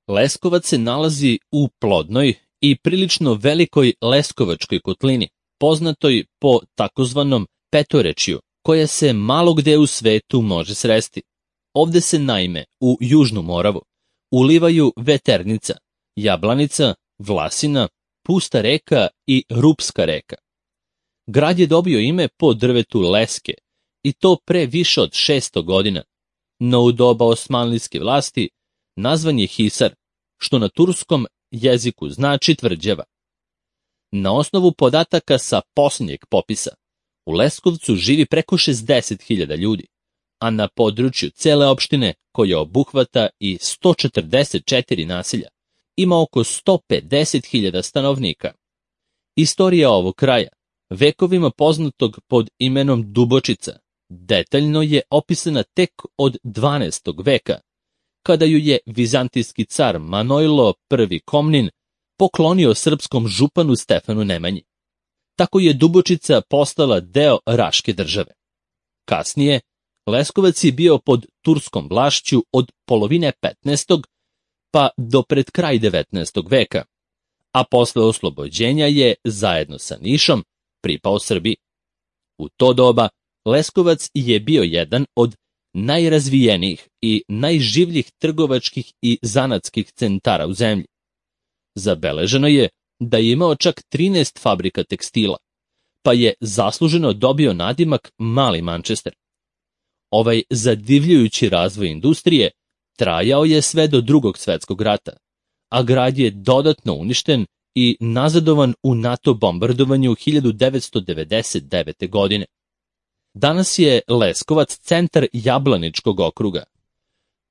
Leskovac se nalazi u plodnoj i prilično velikoj Leskovačkoj kotlini, poznatoj po takozvanom petorečju, koja se malo gde u svetu može sresti. Ovde se naime u Južnu Moravu ulivaju Veternica, Jablanica, Vlasina, Pusta reka i Rupska reka. Grad je dobio ime po drvetu leske, i to pre više od 600 godina, no u doba osmanlijske vlasti nazvan je Hisar, što na turskom jeziku znači tvrđava. Na osnovu podataka sa posljednjeg popisa, u Leskovcu živi preko 60.000 ljudi, a na području cele opštine, koja obuhvata i 144 naselja, ima oko 150.000 stanovnika. Istorija ovog kraja, vekovima poznatog pod imenom Dubočica, detaljno je opisana tek od 12. veka, kada ju je vizantijski car Manojlo I Komnin poklonio srpskom županu Stefanu Nemanji. Tako je Dubočica postala deo Raške države. Kasnije, Leskovac je bio pod turskom vlašću od polovine 15. pa do pred kraj 19. veka, a posle oslobođenja je, zajedno sa Nišom, pripao Srbiji. U to doba Leskovac je bio jedan od najrazvijenijih i najživljih trgovačkih i zanatskih centara u zemlji. Zabeleženo je da je imao čak 13 fabrika tekstila, pa je zasluženo dobio nadimak Mali Mančester. Ovaj zadivljujući razvoj industrije trajao je sve do Drugog svetskog rata, a grad je dodatno uništen i nazadovan u NATO bombardovanju 1999. godine. Danas je Leskovac centar Jablaničkog okruga,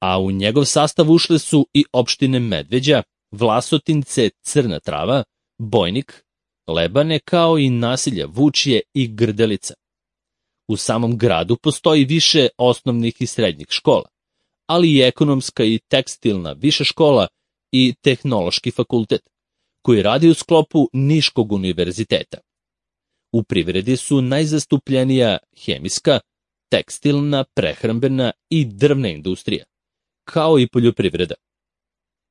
a u njegov sastav ušle su i opštine Medveđa, Vlasotince, Crna Trava, Bojnik, Lebane, kao i naselja Vučje i Grdelica. U samom gradu postoji više osnovnih i srednjih škola, ali i ekonomska i tekstilna viša škola i tehnološki fakultet, koji radi u sklopu Niškog univerziteta. U privredi su najzastupljenija hemijska, tekstilna, prehrambena i drvna industrija, kao i poljoprivreda.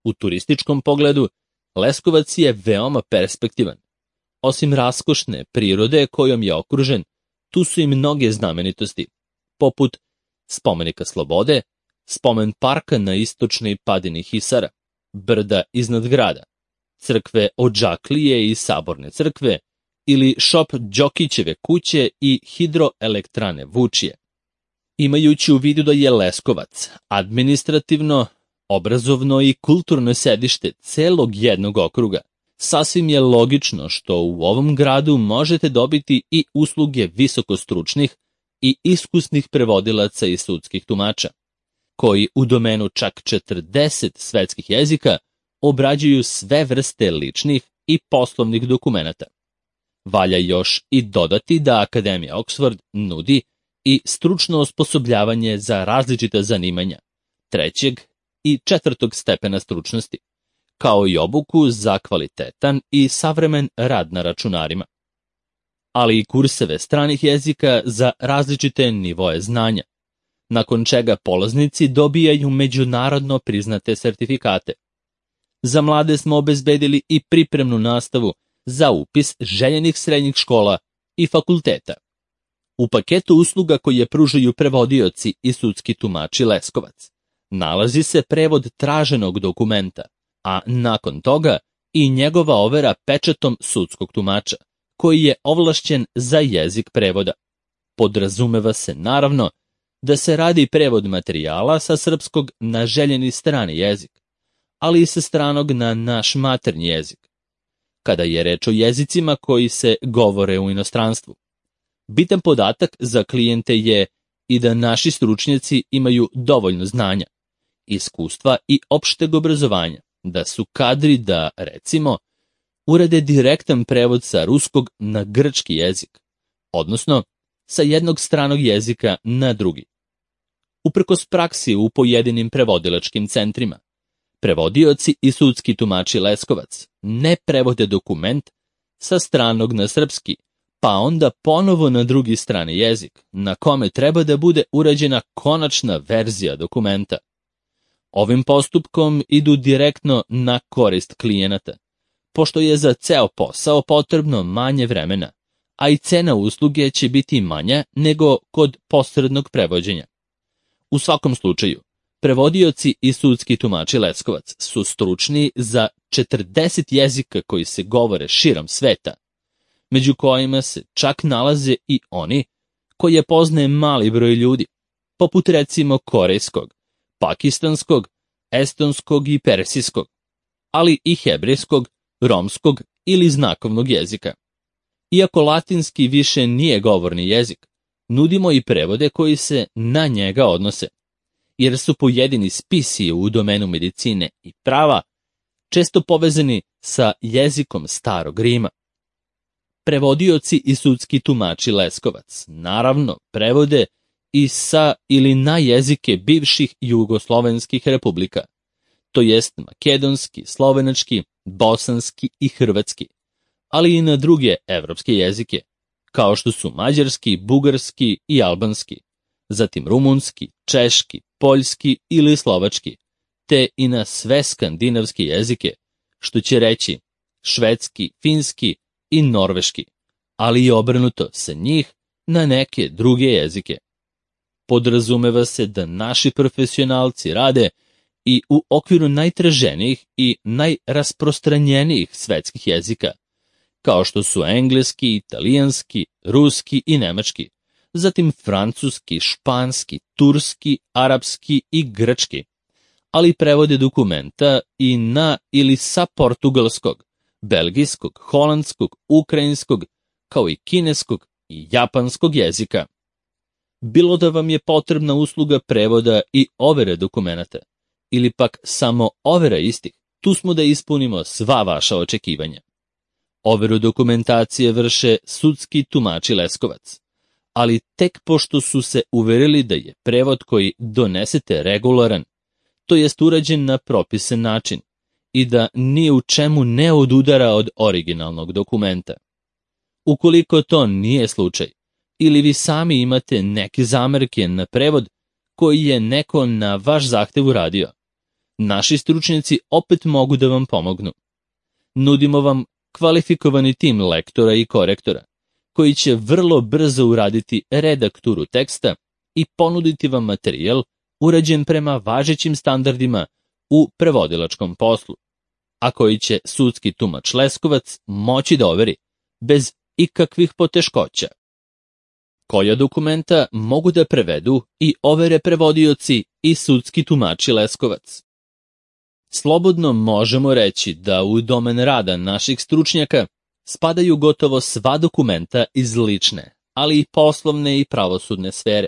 U turističkom pogledu, Leskovac je veoma perspektivan. Osim raskošne prirode kojom je okružen, tu su i mnoge znamenitosti, poput spomenika Slobode, spomen parka na istočnoj padini Hisara, brda iznad grada, crkve Odžaklije i Saborne crkve, ili šop Đokićeve kuće i hidroelektrane Vučje. Imajući u vidu da je Leskovac administrativno, obrazovno i kulturno sedište celog jednog okruga, sasvim je logično što u ovom gradu možete dobiti i usluge visokostručnih i iskusnih prevodilaca i sudskih tumača, koji u domenu čak 40 svetskih jezika obrađuju sve vrste ličnih i poslovnih dokumenata. Valja još i dodati da Akademija Oxford nudi i stručno osposobljavanje za različita zanimanja 3. i 4. stepena stručnosti, kao i obuku za kvalitetan i savremen rad na računarima, ali i kurseve stranih jezika za različite nivoe znanja, nakon čega polaznici dobijaju međunarodno priznate sertifikate. Za mlade smo obezbedili i pripremnu nastavu za upis željenih srednjih škola i fakulteta. U paketu usluga koje pružaju prevodioci i sudski tumači Leskovac nalazi se prevod traženog dokumenta, a nakon toga i njegova overa pečatom sudskog tumača, koji je ovlašćen za jezik prevoda. Podrazumeva se naravno da se radi prevod materijala sa srpskog na željeni strani jezik, ali i sa stranog na naš maternji jezik, kada je reč o jezicima koji se govore u inostranstvu. Bitan podatak za klijente je i da naši stručnjaci imaju dovoljno znanja, iskustva i opšteg obrazovanja, da su kadri da, recimo, urade direktan prevod sa ruskog na grčki jezik, odnosno sa jednog stranog jezika na drugi. Uprkos praksi u pojedinim prevodilačkim centrima, prevodioci i sudski tumači Leskovac ne prevode dokument sa stranog na srpski, pa onda ponovo na drugi strani jezik, na kome treba da bude urađena konačna verzija dokumenta. Ovim postupkom idu direktno na korist klijenata, pošto je za ceo posao potrebno manje vremena, a i cena usluge će biti manja nego kod posrednog prevođenja. U svakom slučaju, prevodioci i sudski tumači Leskovac su stručni za 40 jezika koji se govore širom sveta, među kojima se čak nalaze i oni koje poznaje mali broj ljudi, poput recimo korejskog, pakistanskog, estonskog i persijskog, ali i hebrejskog, romskog ili znakovnog jezika. Iako latinski više nije govorni jezik, nudimo i prevode koji se na njega odnose, jer su pojedini spisi u domenu medicine i prava često povezani sa jezikom starog Rima. Prevodioci i sudski tumači Leskovac naravno prevode i sa ili na jezike bivših jugoslovenskih republika, to jest makedonski, slovenački, bosanski i hrvatski, ali i na druge evropske jezike, kao što su mađarski, bugarski i albanski, zatim rumunski, češki, poljski ili slovački, te i na sve skandinavske jezike, što će reći švedski, finski i norveški, ali i obrnuto sa njih na neke druge jezike. Podrazumeva se da naši profesionalci rade i u okviru najtraženijih i najrasprostranjenijih svetskih jezika, kao što su engleski, italijanski, ruski i nemački, zatim francuski, španski, turski, arapski i grčki, ali prevode dokumenta i na ili sa portugalskog, belgijskog, holandskog, ukrajinskog, kao i kineskog i japanskog jezika. Bilo da vam je potrebna usluga prevoda i overe dokumenata, ili pak samo overa istih, tu smo da ispunimo sva vaša očekivanja. Overu dokumentacije vrše sudski tumači Leskovac, ali tek pošto su se uverili da je prevod koji donesete regularan, to jest urađen na propisan način i da ni u čemu ne odudara od originalnog dokumenta. Ukoliko to nije slučaj, ili vi sami imate neke zamerke na prevod koji je neko na vaš zahtev uradio, naši stručnjaci opet mogu da vam pomognu. Nudimo vam kvalifikovani tim lektora i korektora, koji će vrlo brzo uraditi redakturu teksta i ponuditi vam materijal urađen prema važećim standardima u prevodilačkom poslu, a koji će sudski tumač Leskovac moći da overi bez ikakvih poteškoća. Koja dokumenta mogu da prevedu i overe prevodioci i sudski tumači Leskovac? Slobodno možemo reći da u domen rada naših stručnjaka spadaju gotovo sva dokumenta iz lične, ali i poslovne i pravosudne sfere.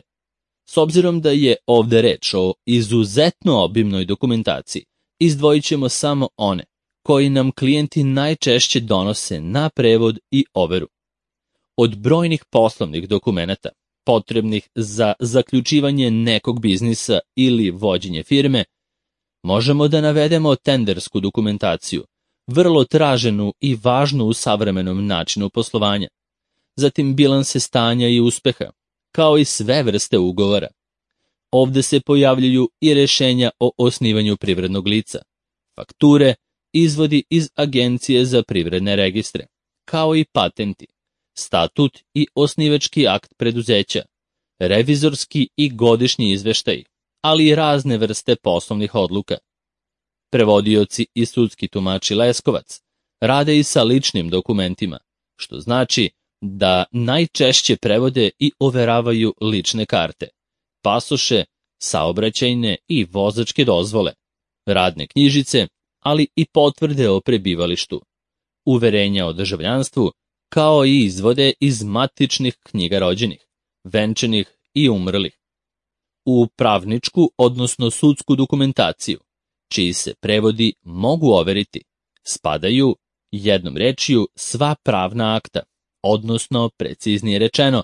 S obzirom da je ovde reč o izuzetno obimnoj dokumentaciji, izdvojit ćemo samo one koji nam klijenti najčešće donose na prevod i overu. Od brojnih poslovnih dokumenata, potrebnih za zaključivanje nekog biznisa ili vođenje firme, možemo da navedemo tendersku dokumentaciju, vrlo traženu i važnu u savremenom načinu poslovanja, zatim bilanse stanja i uspeha, kao i sve vrste ugovora. Ovde se pojavljuju i rešenja o osnivanju privrednog lica, fakture, izvodi iz Agencije za privredne registre, kao i patenti, statut i osnivački akt preduzeća, revizorski i godišnji izveštaj, ali i razne vrste poslovnih odluka. Prevodioci i sudski tumači Leskovac rade i sa ličnim dokumentima, što znači da najčešće prevode i overavaju lične karte, pasoše, saobraćajne i vozačke dozvole, radne knjižice, ali i potvrde o prebivalištu, uverenja o državljanstvu, kao i izvode iz matičnih knjiga rođenih, venčanih i umrlih. U pravničku, odnosno sudsku dokumentaciju, čiji se prevodi mogu overiti, spadaju, jednom rečju, sva pravna akta, odnosno, preciznije rečeno,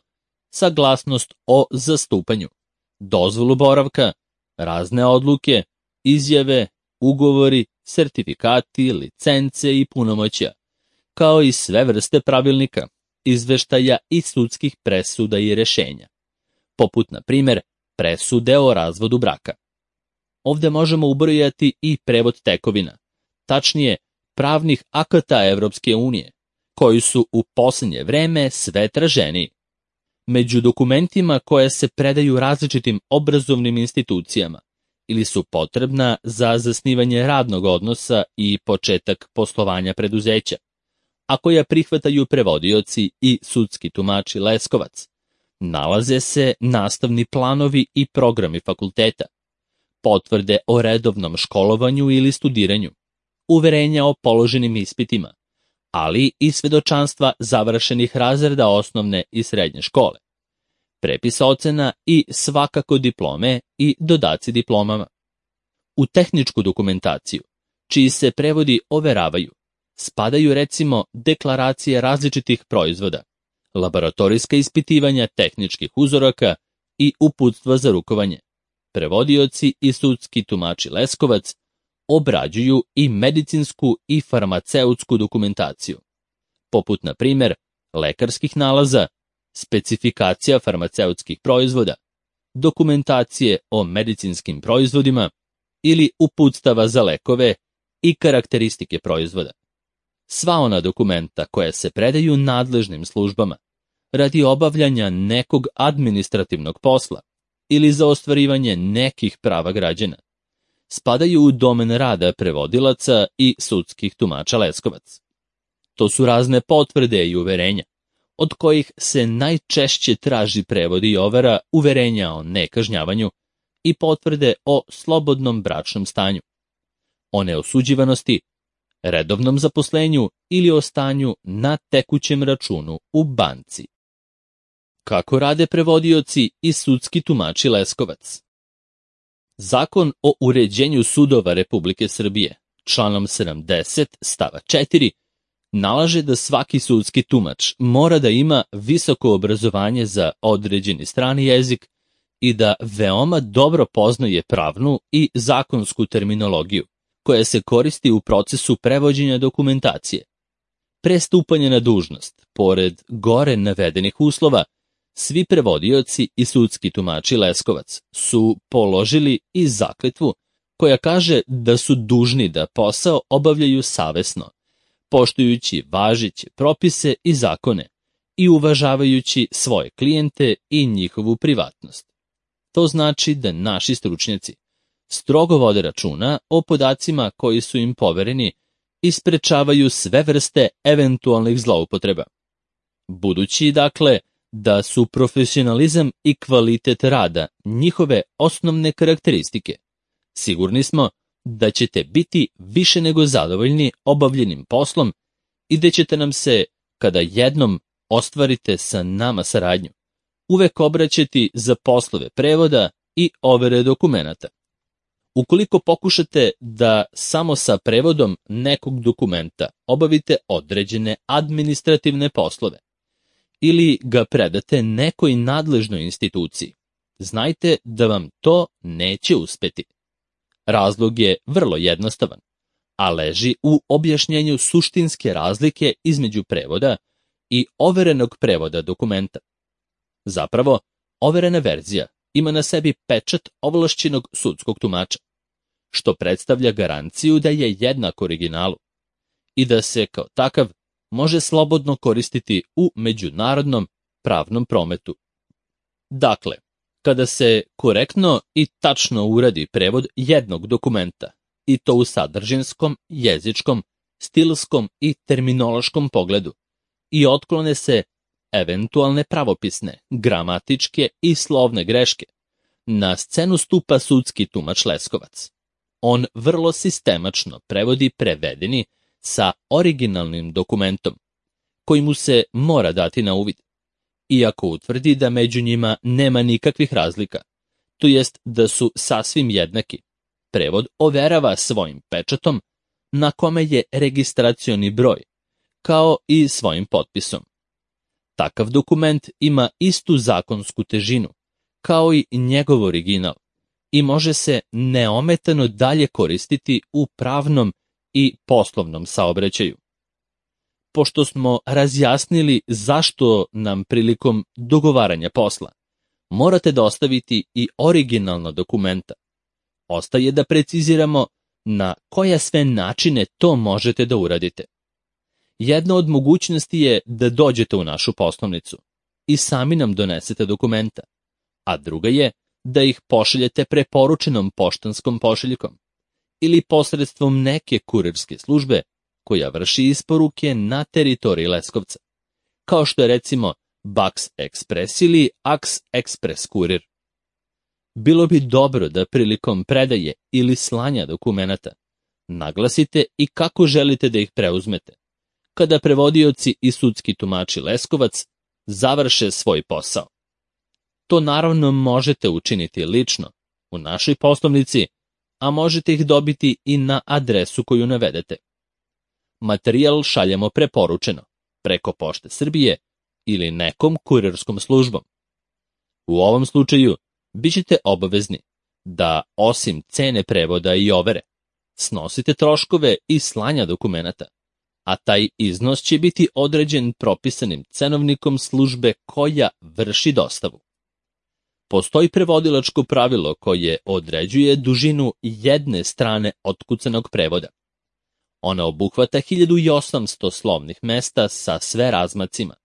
saglasnost o zastupanju, dozvolu boravka, razne odluke, izjave, ugovori, sertifikati, licence i punomoćja, kao i sve vrste pravilnika, izveštaja i sudskih presuda i rešenja, poput, na primer, presude o razvodu braka. Ovde možemo ubrojati i prevod tekovina, tačnije pravnih akata Evropske unije, koji su u posljednje vreme sve traženiji. Među dokumentima koje se predaju različitim obrazovnim institucijama ili su potrebna za zasnivanje radnog odnosa i početak poslovanja preduzeća, a koja prihvataju prevodioci i sudski tumači Leskovac, nalaze se nastavni planovi i programi fakulteta, potvrde o redovnom školovanju ili studiranju, uverenja o položenim ispitima, ali i svedočanstva završenih razreda osnovne i srednje škole, prepis ocena i svakako diplome i dodaci diplomama. U tehničku dokumentaciju, čiji se prevodi overavaju, spadaju recimo deklaracije različitih proizvoda, laboratorijska ispitivanja tehničkih uzoraka i uputstva za rukovanje. Prevodioci i sudski tumači Leskovac obrađuju i medicinsku i farmaceutsku dokumentaciju, poput na primjer lekarskih nalaza, specifikacija farmaceutskih proizvoda, dokumentacije o medicinskim proizvodima ili uputstava za lekove i karakteristike proizvoda. Sva ona dokumenta koja se predaju nadležnim službama radi obavljanja nekog administrativnog posla ili za ostvarivanje nekih prava građana, spadaju u domen rada prevodilaca i sudskih tumača Leskovac. To su razne potvrde i uverenja, od kojih se najčešće traži prevod i overa uverenja o nekažnjavanju i potvrde o slobodnom bračnom stanju, o neosuđivanosti, redovnom zaposlenju ili o stanju na tekućem računu u banci. Kako rade prevodioci i sudski tumači Leskovac? Zakon o uređenju sudova Republike Srbije, članom 70 stava 4, nalaže da svaki sudski tumač mora da ima visoko obrazovanje za određeni strani jezik i da veoma dobro poznaje pravnu i zakonsku terminologiju, koja se koristi u procesu prevođenja dokumentacije. Pre stupanja na dužnost, pored gore navedenih uslova, svi prevodioci i sudski tumači Leskovac su položili i zakletvu koja kaže da su dužni da posao obavljaju savesno, poštujući važeće propise i zakone i uvažavajući svoje klijente i njihovu privatnost. To znači da naši stručnjaci strogo vode računa o podacima koji su im povereni i sprečavaju sve vrste eventualnih zloupotreba. Budući, dakle, da su profesionalizam i kvalitet rada njihove osnovne karakteristike, sigurni smo da ćete biti više nego zadovoljni obavljenim poslom i da ćete nam se, kada jednom ostvarite sa nama saradnju, uvek obraćati za poslove prevoda i overe dokumenata. Ukoliko pokušate da samo sa prevodom nekog dokumenta obavite određene administrativne poslove ili ga predate nekoj nadležnoj instituciji, znajte da vam to neće uspeti. Razlog je vrlo jednostavan, a leži u objašnjenju suštinske razlike između prevoda i overenog prevoda dokumenta. Zapravo, overena verzija ima na sebi pečat ovlašćenog sudskog tumača, što predstavlja garanciju da je jednak originalu i da se kao takav može slobodno koristiti u međunarodnom pravnom prometu. Dakle, kada se korektno i tačno uradi prevod jednog dokumenta, i to u sadržinskom, jezičkom, stilskom i terminološkom pogledu, i otklone se eventualne pravopisne, gramatičke i slovne greške, na scenu stupa sudski tumač Leskovac. On vrlo sistemačno prevodi prevedeni sa originalnim dokumentom, koji mu se mora dati na uvid, iako utvrdi da među njima nema nikakvih razlika, to jest da su sasvim jednaki. Prevod overava svojim pečatom, na kome je registracioni broj, kao i svojim potpisom. Takav dokument ima istu zakonsku težinu, kao i njegov original, i može se neometano dalje koristiti u pravnom i poslovnom saobraćaju. Pošto smo razjasnili zašto nam prilikom dogovaranja posla morate dostaviti i originalna dokumenta, Ostaje da preciziramo na koje sve načine to možete da uradite. Jedna od mogućnosti je da dođete u našu poslovnicu i sami nam donesete dokumenta, a druga je da ih pošaljete preporučenom poštanskom pošiljkom ili posredstvom neke kurirske službe koja vrši isporuke na teritoriji Leskovca, kao što je recimo Bax Express ili Ax Express kurir. Bilo bi dobro da prilikom predaje ili slanja dokumenata naglasite i kako želite da ih preuzmete, kada prevodioci i sudski tumači Leskovac završe svoj posao. To naravno možete učiniti lično u našoj poslovnici, a možete ih dobiti i na adresu koju navedete. Materijal šaljemo preporučeno, preko Pošte Srbije ili nekom kurirskom službom. U ovom slučaju bićete obavezni da, osim cene prevoda i overe, snosite troškove i slanja dokumenata, a taj iznos će biti određen propisanim cenovnikom službe koja vrši dostavu. Postoji prevodilačko pravilo koje određuje dužinu jedne strane otkucanog prevoda. Ona obuhvata 1800 slovnih mesta sa sve razmacima.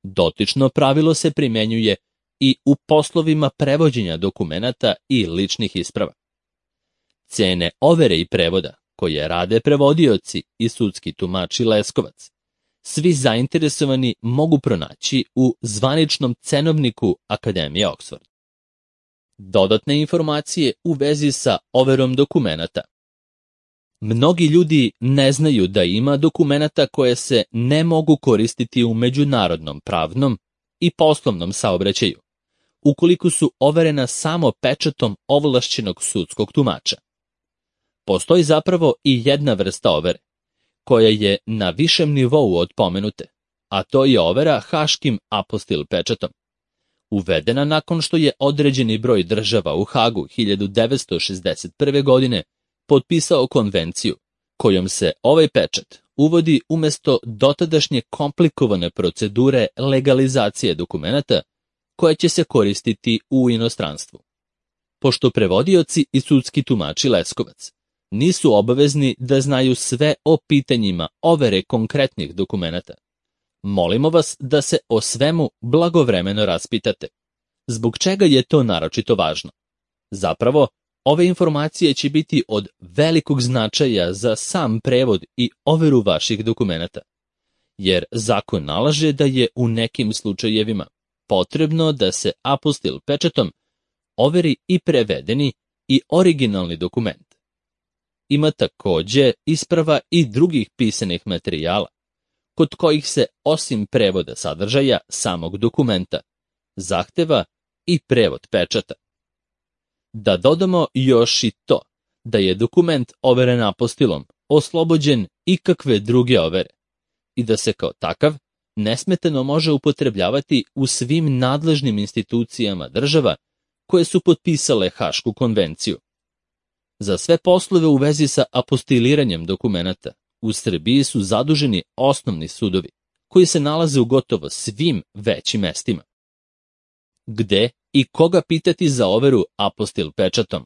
Dotično pravilo se primenjuje i u poslovima prevođenja dokumenata i ličnih isprava. Cene overe i prevoda koje rade prevodioci i sudski tumači Leskovac, svi zainteresovani mogu pronaći u zvaničnom cenovniku Akademije Oxford. Dodatne informacije u vezi sa overom dokumenata. Mnogi ljudi ne znaju da ima dokumenata koje se ne mogu koristiti u međunarodnom pravnom i poslovnom saobraćaju, ukoliko su overena samo pečatom ovlašćenog sudskog tumača. Postoji zapravo i jedna vrsta overe, koja je na višem nivou od pomenute, a to je overa haškim apostil pečatom. Uvedena nakon što je određeni broj država u Hagu 1961. godine potpisao konvenciju, kojom se ovaj pečat uvodi umesto dotadašnje komplikovane procedure legalizacije dokumenata koja će se koristiti u inostranstvu. Pošto prevodioci i sudski tumači Leskovac nisu obavezni da znaju sve o pitanjima overe konkretnih dokumenata, molimo vas da se o svemu blagovremeno raspitate. Zbog čega je to naročito važno? Zapravo, ove informacije će biti od velikog značaja za sam prevod i overu vaših dokumenata, jer zakon nalaže da je u nekim slučajevima potrebno da se apostil pečatom overi i prevedeni i originalni dokument. Ima takođe isprava i drugih pisanih materijala, kod kojih se osim prevoda sadržaja samog dokumenta zahteva i prevod pečata. Da dodamo još i to da je dokument overen apostilom oslobođen ikakve druge overe i da se kao takav nesmetano može upotrebljavati u svim nadležnim institucijama država koje su potpisale Hašku konvenciju. Za sve poslove u vezi sa apostiliranjem dokumenata u Srbiji su zaduženi osnovni sudovi, koji se nalaze u gotovo svim većim mestima. Gde i koga pitati za overu apostil pečatom?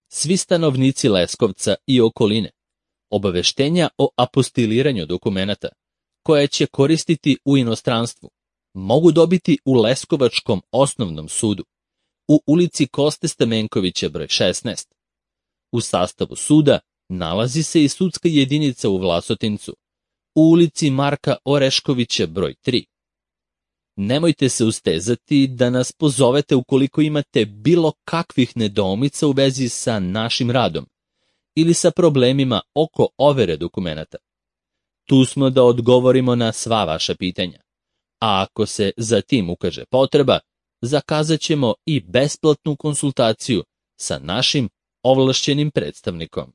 Svi stanovnici Leskovca i okoline obaveštenja o apostiliranju dokumenata, koje će koristiti u inostranstvu, mogu dobiti u Leskovačkom osnovnom sudu, u ulici Koste Stamenkovića broj 16. U sastavu suda nalazi se i sudska jedinica u Vlasotincu, u ulici Marka Oreškovića broj 3. Nemojte se ustezati da nas pozovete ukoliko imate bilo kakvih nedoumica u vezi sa našim radom ili sa problemima oko overe dokumenata. Tu smo da odgovorimo na sva vaša pitanja, a ako se za tim ukaže potreba, zakazat ćemo i besplatnu konsultaciju sa našim ovlašćenim predstavnikom.